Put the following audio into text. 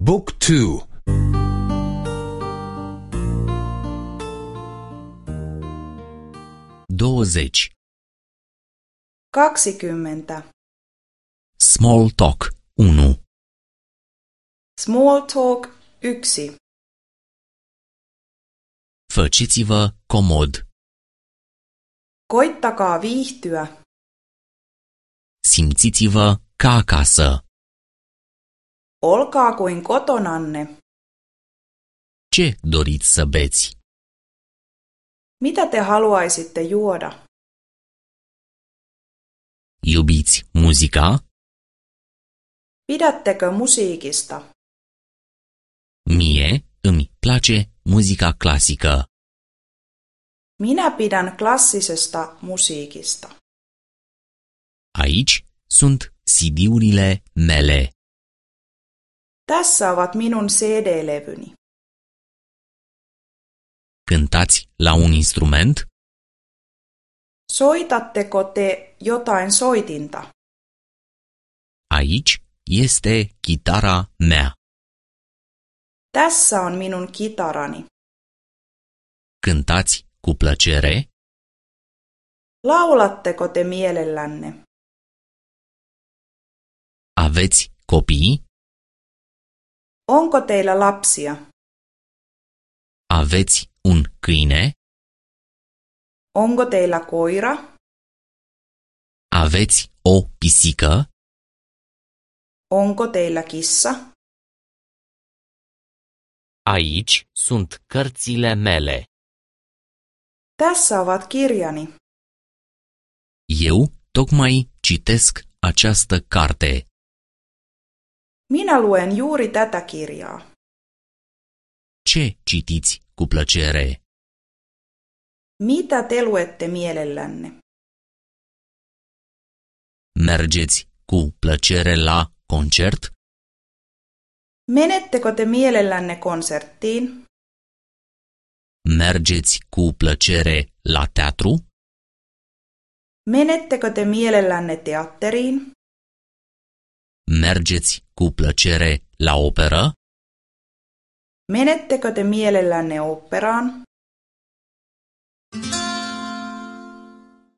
บุ๊กทู 20. 20. Small talk 1. Small talk 1. Faceți-vă comod. Koittakaa viihtyä. Simțiți-vă ca acasă. Olkaa kuin kotonanne. Ce doriți să beți? Mitä te haluaisitte juoda? Iubiți muzica? Pidättekö musiikista? Mie îmi place muzica clasică. Minä pidän klassisesta musiikista. Aici sunt CD-urile mele. Tässä ovat minun CD-levyni. Cântați la un instrument? Soitatteko te jotain soitinta? Aici este chitara mea. Tässä on minun kitarani. Cântați cu plăcere? Laulatteko te mielellänne? Aveți copii? Onko teillä lapsia? Aveți un câine? Onko teillä koira? Aveți o pisică? Onko teillä kissa? Aici sunt cărțile mele. Tässä ovat kirjani. Eu tocmai citesc această carte. Minä luen juuri tätä kirjaa. Ce citiți cu plăcere? Mitä te luette mielellänne? Mergeți cu plăcere la concert? Menettekö te mielellänne konserttiin? Mergeți cu plăcere la teatru? Menettekö te mielellänne teatteriin? Mergeți cu plăcere la operă? Menettekö te mielellänne oopperaan?